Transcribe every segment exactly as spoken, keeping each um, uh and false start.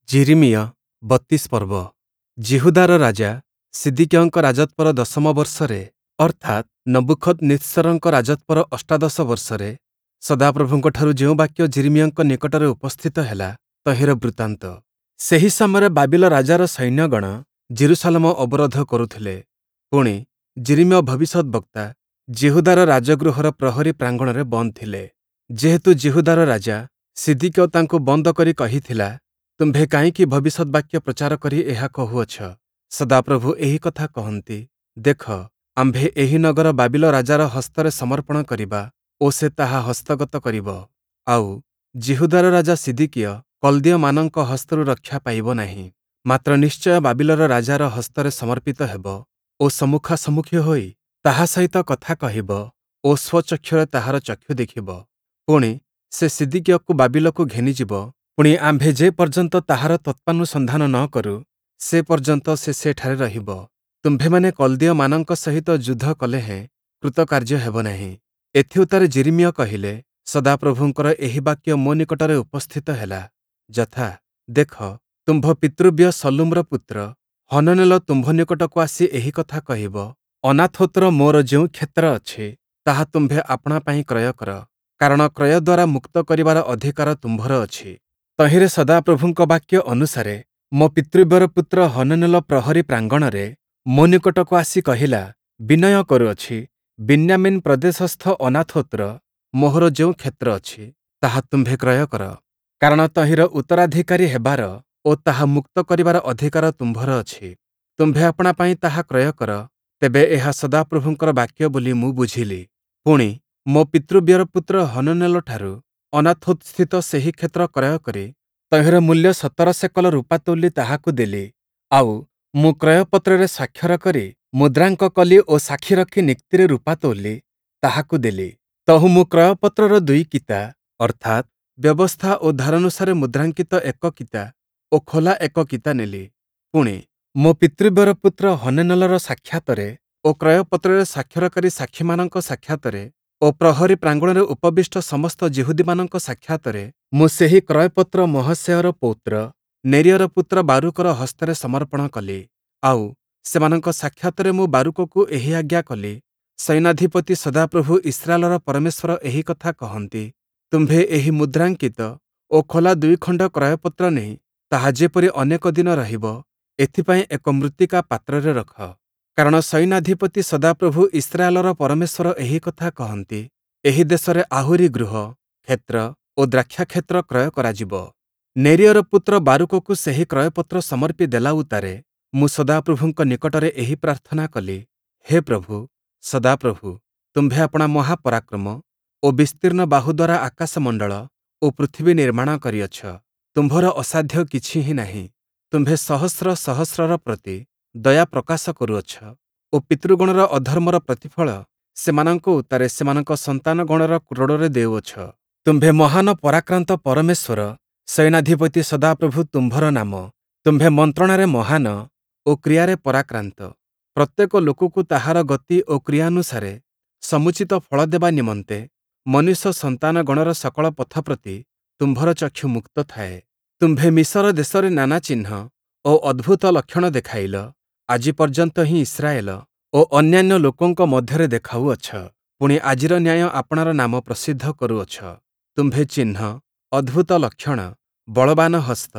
ଯିରିମିୟ ବତିଶ ପର୍ବ। ଯିହୁଦାର ରାଜା ସିଦିକିୟଙ୍କ ରାଜତ୍ୱର ଦଶମ ବର୍ଷରେ, ଅର୍ଥାତ୍ ନବୂଖଦନିତ୍ସରଙ୍କ ରାଜତ୍ୱର ଅଷ୍ଟାଦଶ ବର୍ଷରେ, ସଦାପ୍ରଭୁଙ୍କଠାରୁ ଯେଉଁ ବାକ୍ୟ ଯିରିମିୟଙ୍କ ନିକଟରେ ଉପସ୍ଥିତ ହେଲା, ତହିଁର ବୃତ୍ତାନ୍ତ। ସେହି ସମୟରେ ବାବିଲ ରାଜାର ସୈନ୍ୟଗଣ ଯିରୂଶାଲମ ଅବରୋଧ କରୁଥିଲେ। ପୁଣି, ଯିରିମିୟ ଭବିଷ୍ୟଦ୍‌ବକ୍ତା ଯିହୁଦାର ରାଜଗୃହର ପ୍ରହରୀ ପ୍ରାଙ୍ଗଣରେ ବନ୍ଦ ଥିଲେ, ଯେହେତୁ ଯିହୁଦାର ରାଜା ସିଦିକିୟ ତାଙ୍କୁ ବନ୍ଦ କରି କହିଥିଲା, ତୁମ୍ଭେ କାହିଁକି ଭବିଷ୍ୟଦ୍‌ବାକ୍ୟ ପ୍ରଚାର କରି ଏହା କହୁଅଛ, ସଦାପ୍ରଭୁ ଏହି କଥା କହନ୍ତି, ଦେଖ, ଆମ୍ଭେ ଏହି ନଗର ବାବିଲ ରାଜାର ହସ୍ତରେ ସମର୍ପଣ କରିବା ଓ ସେ ତାହା ହସ୍ତଗତ କରିବ। ଆଉ, ଯିହୁଦାର ରାଜା ସିଦିକିୟ କଲ୍ଦୀୟମାନଙ୍କ ହସ୍ତରୁ ରକ୍ଷା ପାଇବ ନାହିଁ, ମାତ୍ର ନିଶ୍ଚୟ ବାବିଲର ରାଜାର ହସ୍ତରେ ସମର୍ପିତ ହେବ ଓ ସମ୍ମୁଖାସମ୍ମୁଖୀ ହୋଇ ତାହା ସହିତ କଥା କହିବ ଓ ସ୍ୱଚକ୍ଷୁରେ ତାହାର ଚକ୍ଷୁ ଦେଖିବ। ପୁଣି, ସେ ସିଦିକିୟକୁ ବାବିଲକୁ ଘେନିଯିବ, ପୁଣି ଆମ୍ଭେ ଯେ ପର୍ଯ୍ୟନ୍ତ ତାହାର ତତ୍ତ୍ୱାନୁସନ୍ଧାନ ନ କରୁ, ସେ ପର୍ଯ୍ୟନ୍ତ ସେ ସେଠାରେ ରହିବ। ତୁମ୍ଭେମାନେ କଲ୍ଦୀୟମାନଙ୍କ ସହିତ ଯୁଦ୍ଧ କଲେ ହେଁ କୃତକାର୍ଯ୍ୟ ହେବ ନାହିଁ। ଏଥିଉତ୍ତାରେ ଯିରିମିୟ କହିଲେ, ସଦାପ୍ରଭୁଙ୍କର ଏହି ବାକ୍ୟ ମୋ ନିକଟରେ ଉପସ୍ଥିତ ହେଲା, ଯଥା, ଦେଖ, ତୁମ୍ଭ ପିତୃବ୍ୟ ଶଲ୍ଲୁମର ପୁତ୍ର ହନନେଲ ତୁମ୍ଭ ନିକଟକୁ ଆସି ଏହି କଥା କହିବ, ଅନାଥୋତ୍ର ମୋର ଯେଉଁ କ୍ଷେତ୍ର ଅଛି, ତାହା ତୁମ୍ଭେ ଆପଣା ପାଇଁ କ୍ରୟ କର, କାରଣ କ୍ରୟ ଦ୍ୱାରା ମୁକ୍ତ କରିବାର ଅଧିକାର ତୁମ୍ଭର ଅଛି। ତହିଁରେ ସଦାପ୍ରଭୁଙ୍କ ବାକ୍ୟ ଅନୁସାରେ ମୋ ପିତୃବ୍ୟର ପୁତ୍ର ହନନେଲ ପ୍ରହରୀ ପ୍ରାଙ୍ଗଣରେ ମୋ ନିକଟକୁ ଆସି କହିଲା, ବିନୟ କରୁଅଛି, ବିନ୍ୟାମୀନ୍ ପ୍ରଦେଶସ୍ଥ ଅନାଥୋତ୍ର ମୋହର ଯେଉଁ କ୍ଷେତ୍ର ଅଛି, ତାହା ତୁମ୍ଭେ କ୍ରୟ କର, କାରଣ ତହିଁର ଉତ୍ତରାଧିକାରୀ ହେବାର ଓ ତାହା ମୁକ୍ତ କରିବାର ଅଧିକାର ତୁମ୍ଭର ଅଛି। ତୁମ୍ଭେ ଆପଣା ପାଇଁ ତାହା କ୍ରୟ କର। ତେବେ ଏହା ସଦାପ୍ରଭୁଙ୍କର ବାକ୍ୟ ବୋଲି ମୁଁ ବୁଝିଲି। ପୁଣି, ମୋ ପିତୃବ୍ୟର ପୁତ୍ର ହନନେଲଠାରୁ ଅନାଥୋତ୍‌ସ୍ଥିତ ସେହି କ୍ଷେତ୍ର କ୍ରୟ କରି ତହିଁର ମୂଲ୍ୟ ସତର ସେକଲ ରୂପା ତୋଲି ତାହାକୁ ଦେଲି। ଆଉ, ମୁଁ କ୍ରୟପତ୍ରରେ ସ୍ୱାକ୍ଷର କରି ମୁଦ୍ରାଙ୍କ କଲି ଓ ସାକ୍ଷୀ ରଖି ନିକ୍ତିରେ ରୂପା ତୋଲି ତାହାକୁ ଦେଲି। ତହୁଁ ମୁଁ କ୍ରୟପତ୍ରର ଦୁଇ କିତା, ଅର୍ଥାତ୍, ବ୍ୟବସ୍ଥା ଓ ଧାରାନୁସାରେ ମୁଦ୍ରାଙ୍କିତ ଏକ କିତା ଓ ଖୋଲା ଏକ କିତା ନେଲି। ପୁଣି, ମୋ ପିତୃବ୍ୟର ପୁତ୍ର ହନନେଲର ସାକ୍ଷାତରେ ଓ କ୍ରୟପତ୍ରରେ ସ୍ୱାକ୍ଷରକାରୀ ସାକ୍ଷୀମାନଙ୍କ ସାକ୍ଷାତରେ ଓ ପ୍ରହରୀ ପ୍ରାଙ୍ଗଣରେ ଉପବିଷ୍ଟ ସମସ୍ତ ଯିହୁଦୀମାନଙ୍କ ସାକ୍ଷାତରେ ମୁଁ ସେହି କ୍ରୟପତ୍ର ମହସେୟର ପୌତ୍ର ନେରିୟର ପୁତ୍ର ବାରୂକର ହସ୍ତରେ ସମର୍ପଣ କଲି। ଆଉ, ସେମାନଙ୍କ ସାକ୍ଷାତରେ ମୁଁ ବାରୂକକୁ ଏହି ଆଜ୍ଞା କଲି, ସୈନ୍ୟାଧିପତି ସଦାପ୍ରଭୁ ଇସ୍ରାଏଲର ପରମେଶ୍ୱର ଏହି କଥା କହନ୍ତି, ତୁମ୍ଭେ ଏହି ମୁଦ୍ରାଙ୍କିତ ଓ ଖୋଲା ଦୁଇଖଣ୍ଡ କ୍ରୟପତ୍ର ନେଇ ତାହା ଯେପରି ଅନେକ ଦିନ ରହିବ, ଏଥିପାଇଁ ଏକ ମୃତ୍ତିକା ପାତ୍ରରେ ରଖ। କାରଣ ସୈନ୍ୟାଧିପତି ସଦାପ୍ରଭୁ ଇସ୍ରାଏଲର ପରମେଶ୍ୱର ଏହି କଥା କହନ୍ତି, ଏହି ଦେଶରେ ଆହୁରି ଗୃହ, କ୍ଷେତ୍ର ଓ ଦ୍ରାକ୍ଷାକ୍ଷେତ୍ର କ୍ରୟ କରାଯିବ। ନେରିୟର ପୁତ୍ର ବାରୂକକୁ ସେହି କ୍ରୟପତ୍ର ସମର୍ପି ଦେଲା ଉତ୍ତାରେ ମୁଁ ସଦାପ୍ରଭୁଙ୍କ ନିକଟରେ ଏହି ପ୍ରାର୍ଥନା କଲି, ହେ ପ୍ରଭୁ, ସଦାପ୍ରଭୁ, ତୁମ୍ଭେ ଆପଣା ମହାପରାକ୍ରମ ଓ ବିସ୍ତୀର୍ଣ୍ଣ ବାହୁ ଦ୍ୱାରା ଆକାଶମଣ୍ଡଳ ଓ ପୃଥିବୀ ନିର୍ମାଣ କରିଅଛ। ତୁମ୍ଭର ଅସାଧ୍ୟ କିଛି ହିଁ ନାହିଁ। ତୁମ୍ଭେ ସହସ୍ର ସହସ୍ରର ପ୍ରତି ଦୟା ପ୍ରକାଶ କରୁଅଛ ଓ ପିତୃଗଣର ଅଧର୍ମର ପ୍ରତିଫଳ ସେମାନଙ୍କ ଉତ୍ତାରେ ସେମାନଙ୍କ ସନ୍ତାନଗଣର କ୍ରୋଡ଼ରେ ଦେଉଅଛ। ତୁମ୍ଭେ ମହାନ ପରାକ୍ରାନ୍ତ ପରମେଶ୍ୱର, ସୈନ୍ୟାଧିପତି ସଦାପ୍ରଭୁ ତୁମ୍ଭର ନାମ। ତୁମ୍ଭେ ମନ୍ତ୍ରଣାରେ ମହାନ ଓ କ୍ରିୟାରେ ପରାକ୍ରାନ୍ତ। ପ୍ରତ୍ୟେକ ଲୋକକୁ ତାହାର ଗତି ଓ କ୍ରିୟାନୁସାରେ ସମୁଚିତ ଫଳ ଦେବା ନିମନ୍ତେ ମନୁଷ୍ୟ ସନ୍ତାନଗଣର ସକଳ ପଥ ପ୍ରତି ତୁମ୍ଭର ଚକ୍ଷୁ ମୁକ୍ତ ଥାଏ। ତୁମ୍ଭେ ମିଶର ଦେଶରେ ନାନା ଚିହ୍ନ ଓ ଅଦ୍ଭୁତ ଲକ୍ଷଣ ଦେଖାଇଲ, ଆଜି ପର୍ଯ୍ୟନ୍ତ ହିଁ ଇସ୍ରାଏଲ ଓ ଅନ୍ୟାନ୍ୟ ଲୋକଙ୍କ ମଧ୍ୟରେ ଦେଖାଉଅଛ। ପୁଣି, ଆଜିର ନ୍ୟାୟ ଆପଣାର ନାମ ପ୍ରସିଦ୍ଧ କରୁଅଛ। ତୁମ୍ଭେ ଚିହ୍ନ, ଅଦ୍ଭୁତ ଲକ୍ଷଣ, ବଳବାନ ହସ୍ତ,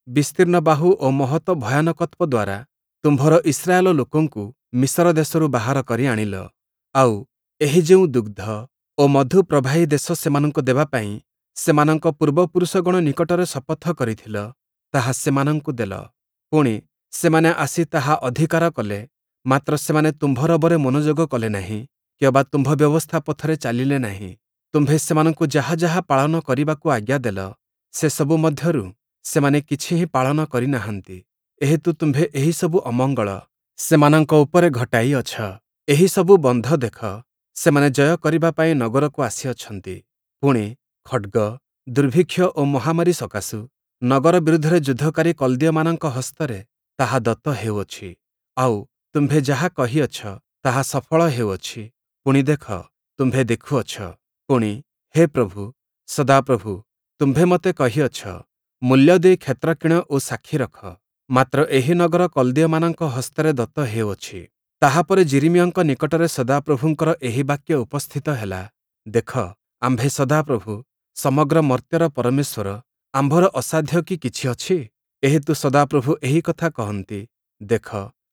ବିସ୍ତୀର୍ଣ୍ଣ ବାହୁ ଓ ମହତ ଭୟାନକତ୍ୱ ଦ୍ୱାରା ତୁମ୍ଭର ଇସ୍ରାଏଲ ଲୋକଙ୍କୁ ମିଶର ଦେଶରୁ ବାହାର କରି ଆଣିଲ। ଆଉ, ଏହି ଯେଉଁ ଦୁଗ୍ଧ ଓ ମଧୁ ପ୍ରବାହୀ ଦେଶ ସେମାନଙ୍କୁ ଦେବା ପାଇଁ ସେମାନଙ୍କ ପୂର୍ବପୁରୁଷଗଣ ନିକଟରେ ଶପଥ କରିଥିଲ, ତାହା ସେମାନଙ୍କୁ ଦେଲ। ପୁଣି, ସେମାନେ ଆସି ତାହା ଅଧିକାର କଲେ, ମାତ୍ର ସେମାନେ ତୁମ୍ଭ ରବରେ ମନୋଯୋଗ କଲେ ନାହିଁ କିଅବା ତୁମ୍ଭ ବ୍ୟବସ୍ଥା ପଥରେ ଚାଲିଲେ ନାହିଁ। ତୁମ୍ଭେ ସେମାନଙ୍କୁ ଯାହା ଯାହା ପାଳନ କରିବାକୁ ଆଜ୍ଞା ଦେଲ, ସେସବୁ ମଧ୍ୟରୁ ସେମାନେ କିଛି ହିଁ ପାଳନ କରି ନାହାନ୍ତି। ଏହେତୁ ତୁମ୍ଭେ ଏହିସବୁ ଅମଙ୍ଗଳ ସେମାନଙ୍କ ଉପରେ ଘଟାଇଅଛ। ଏହିସବୁ ବନ୍ଧ ଦେଖ, ସେମାନେ ଜୟ କରିବା ପାଇଁ ନଗରକୁ ଆସିଅଛନ୍ତି। ପୁଣି, ଖଡ଼୍ଗ, ଦୁର୍ଭିକ୍ଷ ଓ ମହାମାରୀ ସକାଶୁ ନଗର ବିରୁଦ୍ଧରେ ଯୁଦ୍ଧକାରୀ କଲ୍ଦୀୟମାନଙ୍କ ହସ୍ତରେ ତାହା ଦତ୍ତ ହେଉଅଛି। ଆଉ, ତୁମ୍ଭେ ଯାହା କହିଅଛ, ତାହା ସଫଳ ହେଉଅଛି। ପୁଣି ଦେଖ, ତୁମ୍ଭେ ଦେଖୁଅଛ। ପୁଣି, ହେ ପ୍ରଭୁ, ସଦାପ୍ରଭୁ, ତୁମ୍ଭେ ମୋତେ କହିଅଛ, ମୂଲ୍ୟ ଦେଇ କ୍ଷେତ୍ର କିଣ ଓ ସାକ୍ଷୀ ରଖ। ମାତ୍ର ଏହି ନଗର କଲ୍ଦୀୟମାନଙ୍କ ହସ୍ତରେ ଦତ୍ତ ହେଉଅଛି। ତାହା ପରେ ଯିରିମିୟଙ୍କ ନିକଟରେ ସଦାପ୍ରଭୁଙ୍କର ଏହି ବାକ୍ୟ ଉପସ୍ଥିତ ହେଲା, ଦେଖ, ଆମ୍ଭେ ସଦାପ୍ରଭୁ, ସମଗ୍ର ମର୍ତ୍ତ୍ୟର ପରମେଶ୍ୱର, ଆମ୍ଭର ଅସାଧ୍ୟ କି କିଛି ଅଛି? ଏହେତୁ ସଦାପ୍ରଭୁ ଏହି କଥା କହନ୍ତି, ଦେଖ,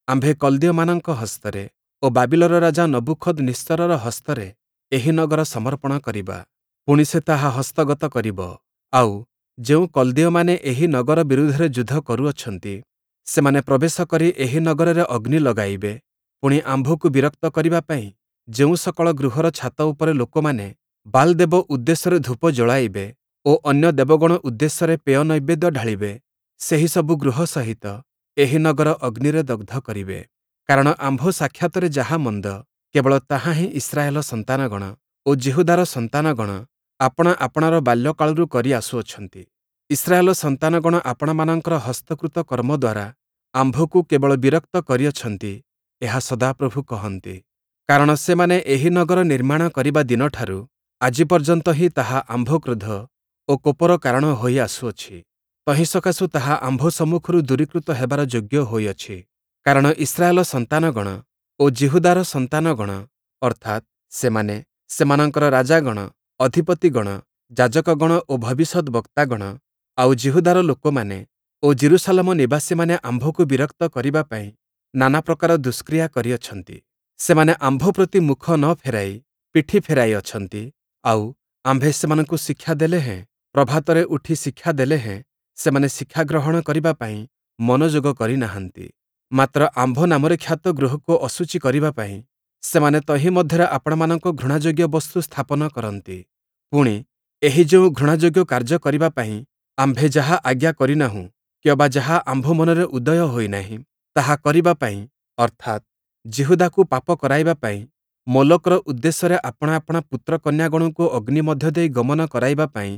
ଆମ୍ଭେ କଲ୍ଦୀୟମାନଙ୍କ ହସ୍ତରେ ଓ ବାବିଲର ରାଜା ନବୂଖଦନିତ୍ସରର ହସ୍ତରେ ଏହି ନଗର ସମର୍ପଣ କରିବା, ପୁଣି ସେ ତାହା ହସ୍ତଗତ କରିବ। ଆଉ, ଯେଉଁ କଲ୍ଦୀୟମାନେ ଏହି ନଗର ବିରୁଦ୍ଧରେ ଯୁଦ୍ଧ କରୁଅଛନ୍ତି, ସେମାନେ ପ୍ରବେଶ କରି ଏହି ନଗରରେ ଅଗ୍ନି ଲଗାଇବେ। ପୁଣି ଆମ୍ଭକୁ ବିରକ୍ତ କରିବା ପାଇଁ ଯେଉଁ ସକଳ ଗୃହର ଛାତ ଉପରେ ଲୋକମାନେ ବାଲ୍ ଦେବ ଉଦ୍ଦେଶ୍ୟରେ ଧୂପ ଜ୍ଵଳାଇବେ ଓ ଅନ୍ୟ ଦେବଗଣ ଉଦ୍ଦେଶ୍ୟରେ ପେୟ ନୈବେଦ୍ୟ ଢାଳିବେ, ସେହିସବୁ ଗୃହ ସହିତ ଏହି ନଗର ଅଗ୍ନିରେ ଦଗ୍ଧ କରିବେ। କାରଣ ଆମ୍ଭ ସାକ୍ଷାତରେ ଯାହା ମନ୍ଦ, କେବଳ ତାହା ହିଁ ଇସ୍ରାଏଲ ସନ୍ତାନଗଣ ଓ ଯିହୁଦାର ସନ୍ତାନଗଣ ଆପଣା ଆପଣାର ବାଲ୍ୟକାଳରୁ କରି ଆସୁଅଛନ୍ତି। ଇସ୍ରାଏଲ ସନ୍ତାନଗଣ ଆପଣାମାନଙ୍କର ହସ୍ତକୃତ କର୍ମ ଦ୍ୱାରା ଆମ୍ଭକୁ କେବଳ ବିରକ୍ତ କରିଅଛନ୍ତି, ଏହା ସଦାପ୍ରଭୁ କହନ୍ତି। କାରଣ ସେମାନେ ଏହି ନଗର ନିର୍ମାଣ କରିବା ଦିନଠାରୁ ଆଜି ପର୍ଯ୍ୟନ୍ତ ହିଁ ତାହା ଆମ୍ଭ କ୍ରୋଧ ଓ କୋପର କାରଣ ହୋଇ ଆସୁଅଛି। ତହିଁ ସକାଶୁ ତାହା ଆମ୍ଭ ସମ୍ମୁଖରୁ ଦୂରୀକୃତ ହେବାର ଯୋଗ୍ୟ ହୋଇଅଛି। କାରଣ ଇସ୍ରାଏଲ ସନ୍ତାନଗଣ ଓ ଯିହୁଦାର ସନ୍ତାନଗଣ, ଅର୍ଥାତ୍ ସେମାନେ, ସେମାନଙ୍କର ରାଜାଗଣ, ଅଧିପତିଗଣ, ଯାଜକଗଣ ଓ ଭବିଷ୍ୟଦ୍‌ବକ୍ତାଗଣ, ଆଉ ଯିହୁଦାର ଲୋକମାନେ ଓ ଯିରୂଶାଲମ ନିବାସୀମାନେ ଆମ୍ଭକୁ ବିରକ୍ତ କରିବା ପାଇଁ ନାନା ପ୍ରକାର ଦୁଷ୍କ୍ରିୟା କରିଅଛନ୍ତି। ସେମାନେ ଆମ୍ଭ ପ୍ରତି ମୁଖ ନ ଫେରାଇ ପିଠି ଫେରାଇ ଅଛନ୍ତି। ଆଉ, ଆମ୍ଭେ ସେମାନଙ୍କୁ ଶିକ୍ଷା ଦେଲେ ହେଁ, ପ୍ରଭାତରେ ଉଠି ଶିକ୍ଷା ଦେଲେ ହେଁ, ସେମାନେ ଶିକ୍ଷା ଗ୍ରହଣ କରିବା ପାଇଁ ମନୋଯୋଗ କରି ନାହାନ୍ତି। ମାତ୍ର ଆମ୍ଭ ନାମରେ ଖ୍ୟାତ ଗୃହକୁ ଅଶୁଚି କରିବା ପାଇଁ ସେମାନେ ତହିଁ ମଧ୍ୟରେ ଆପଣାମାନଙ୍କ ଘୃଣାଯୋଗ୍ୟ ବସ୍ତୁ ସ୍ଥାପନ କରନ୍ତି। ପୁଣି, ଏହି ଯେଉଁ ଘୃଣାଯୋଗ୍ୟ କାର୍ଯ୍ୟ କରିବା ପାଇଁ ଆମ୍ଭେ ଯାହା ଆଜ୍ଞା କରିନାହୁଁ କିଅବା ଯାହା ଆମ୍ଭ ମନରେ ଉଦୟ ହୋଇନାହିଁ, ତାହା କରିବା ପାଇଁ, ଅର୍ଥାତ୍, ଯିହୁଦାକୁ ପାପ କରାଇବା ପାଇଁ ମୋଲକର ଉଦ୍ଦେଶ୍ୟରେ ଆପଣା ଆପଣା ପୁତ୍ରକନ୍ୟାଗଣଙ୍କୁ ଅଗ୍ନି ମଧ୍ୟ ଦେଇ ଗମନ କରାଇବା ପାଇଁ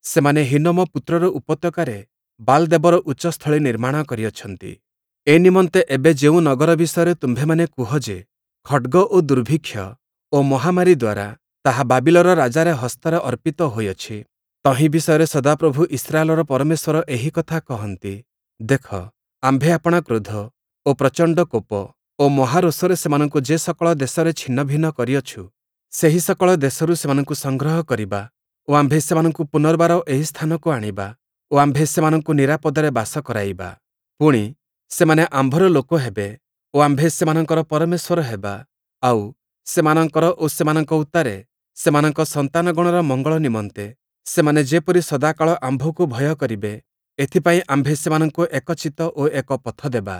ସେମାନେ ହିନ୍ନୋମ ପୁତ୍ରର ଉପତ୍ୟକାରେ ବାଲ୍ ଦେବର ଉଚ୍ଚସ୍ଥଳୀ ନିର୍ମାଣ କରିଅଛନ୍ତି। ଏ ନିମନ୍ତେ ଏବେ ଯେଉଁ ନଗର ବିଷୟରେ ତୁମ୍ଭେମାନେ କୁହ ଯେ, ଖଡ଼୍ଗ ଓ ଦୁର୍ଭିକ୍ଷ ଓ ମହାମାରୀ ଦ୍ୱାରା ତାହା ବାବିଲର ରାଜାର ହସ୍ତରେ ଅର୍ପିତ ହୋଇଅଛି, ତହିଁ ବିଷୟରେ ସଦାପ୍ରଭୁ ଇସ୍ରାଏଲର ପରମେଶ୍ୱର ଏହି କଥା କହନ୍ତି, ଦେଖ, ଆମ୍ଭେ ଆପଣା କ୍ରୋଧ ଓ ପ୍ରଚଣ୍ଡ କୋପ ଓ ମହାରୋଷରେ ସେମାନଙ୍କୁ ଯେ ସକଳ ଦେଶରେ ଛିନ୍ନଭିନ୍ନ କରିଅଛୁ, ସେହି ସକଳ ଦେଶରୁ ସେମାନଙ୍କୁ ସଂଗ୍ରହ କରିବା ଓ ଆମ୍ଭେ ସେମାନଙ୍କୁ ପୁନର୍ବାର ଏହି ସ୍ଥାନକୁ ଆଣିବା ଓ ଆମ୍ଭେ ସେମାନଙ୍କୁ ନିରାପଦରେ ବାସ କରାଇବା। ପୁଣି, ସେମାନେ ଆମ୍ଭର ଲୋକ ହେବେ ଓ ଆମ୍ଭେ ସେମାନଙ୍କର ପରମେଶ୍ୱର ହେବା। ଆଉ, ସେମାନଙ୍କର ଓ ସେମାନଙ୍କ ଉତ୍ତାରେ ସେମାନଙ୍କ ସନ୍ତାନଗଣର ମଙ୍ଗଳ ନିମନ୍ତେ ସେମାନେ ଯେପରି ସଦାକାଳ ଆମ୍ଭକୁ ଭୟ କରିବେ, ଏଥିପାଇଁ ଆମ୍ଭେ ସେମାନଙ୍କୁ ଏକ ଚିତ୍ତ ଓ ଏକ ପଥ ଦେବା।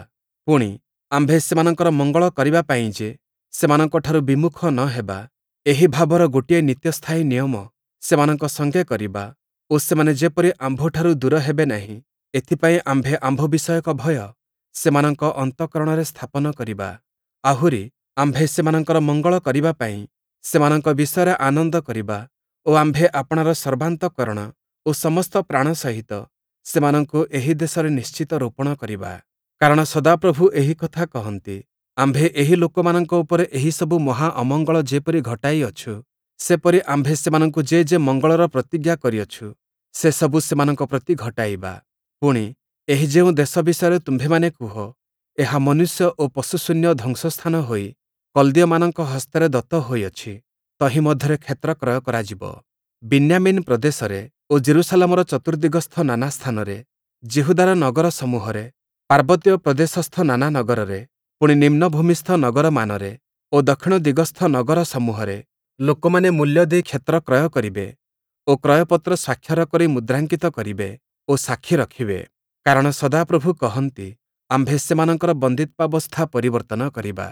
ପୁଣି, ଆମ୍ଭେ ସେମାନଙ୍କର ମଙ୍ଗଳ କରିବା ପାଇଁ ଯେ ସେମାନଙ୍କଠାରୁ ବିମୁଖ ନ ହେବା, ଏହି ଭାବର ଗୋଟିଏ ନିତ୍ୟସ୍ଥାୟୀ ନିୟମ ସେମାନଙ୍କ ସଙ୍ଗେ କରିବା ଓ ସେମାନେ ଯେପରି ଆମ୍ଭଠାରୁ ଦୂର ହେବେ ନାହିଁ, ଏଥିପାଇଁ ଆମ୍ଭେ ଆମ୍ଭ ବିଷୟକ ଭୟ ସେମାନଙ୍କ ଅନ୍ତଃକରଣରେ ସ୍ଥାପନ କରିବା। ଆହୁରି, ଆମ୍ଭେ ସେମାନଙ୍କର ମଙ୍ଗଳ କରିବା ପାଇଁ ସେମାନଙ୍କ ବିଷୟରେ ଆନନ୍ଦ କରିବା ଓ ଆମ୍ଭେ ଆପଣାର ସର୍ବାନ୍ତଃକରଣ ଓ ସମସ୍ତ ପ୍ରାଣ ସହିତ ସେମାନଙ୍କୁ ଏହି ଦେଶରେ ନିଶ୍ଚିତ ରୋପଣ କରିବା। କାରଣ ସଦାପ୍ରଭୁ ଏହି କଥା କହନ୍ତି, ଆମ୍ଭେ ଏହି ଲୋକମାନଙ୍କ ଉପରେ ଏହିସବୁ ମହା ଅମଙ୍ଗଳ ଯେପରି ଘଟାଇଅଛୁ, ସେପରି ଆମ୍ଭେ ସେମାନଙ୍କୁ ଯେ ଯେ ମଙ୍ଗଳର ପ୍ରତିଜ୍ଞା କରିଅଛୁ, ସେସବୁ ସେମାନଙ୍କ ପ୍ରତି ଘଟାଇବା। ପୁଣି, ଏହି ଯେଉଁ ଦେଶ ବିଷୟରେ ତୁମ୍ଭେମାନେ କୁହ, ଏହା ମନୁଷ୍ୟ ଓ ପଶୁଶୂନ୍ୟ ଧ୍ୱଂସସ୍ଥାନ ହୋଇ କଲ୍ଦୀୟମାନଙ୍କ ହସ୍ତରେ ଦତ୍ତ ହୋଇଅଛି, ତହିଁ ମଧ୍ୟରେ କ୍ଷେତ୍ର କ୍ରୟ କରାଯିବ। ବିନ୍ୟାମୀନ୍ ପ୍ରଦେଶରେ ଓ ଯିରୂଶାଲମର ଚତୁର୍ଦ୍ଦିଗସ୍ଥ ନାନା ସ୍ଥାନରେ, ଯିହୁଦାର ନଗର ସମୂହରେ, ପାର୍ବତ୍ୟ ପ୍ରଦେଶସ୍ଥ ନାନା ନଗରରେ, ପୁଣି ନିମ୍ନଭୂମିସ୍ଥ ନଗରମାନରେ ଓ ଦକ୍ଷିଣ ଦିଗସ୍ଥ ନଗର ସମୂହରେ ଲୋକମାନେ ମୂଲ୍ୟ ଦେଇ କ୍ଷେତ୍ର କ୍ରୟ କରିବେ ଓ କ୍ରୟପତ୍ର ସ୍ୱାକ୍ଷର କରି ମୁଦ୍ରାଙ୍କିତ କରିବେ ଓ ସାକ୍ଷୀ ରଖିବେ। କାରଣ ସଦାପ୍ରଭୁ କହନ୍ତି, ଆମ୍ଭେ ସେମାନଙ୍କର ବନ୍ଦିତ୍ୱାବସ୍ଥା ପରିବର୍ତ୍ତନ କରିବା।